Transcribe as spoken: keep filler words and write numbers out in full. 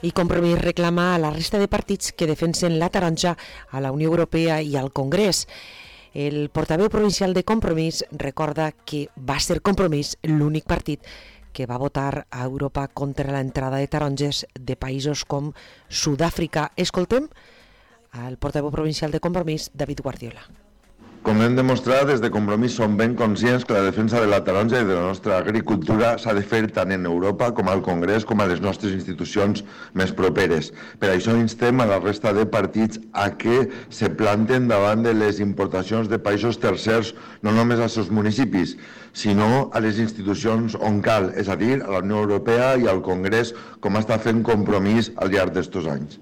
I Compromís reclama a la resta de partits que defensen la taronja a la Unió Europea i al Congrés. El portaveu provincial de Compromís recorda que va ser Compromís l'únic partit que va votar a Europa contra l'entrada de taronges de països com Sud-àfrica. Escoltem al portaveu provincial de Compromís, David Guardiola. Com hem demostrat, des de Compromís som ben conscients que la defensa de la taronja i de la nostra agricultura s'ha de fer tant en Europa com al Congrés com a les nostres institucions més properes. Per això instem a la resta de partits a que se planten davant de les importacions de països tercers, no només als seus municipis, sinó a les institucions on cal, és a dir, a la Unió Europea i al Congrés, com està fent Compromís al llarg d'estos anys.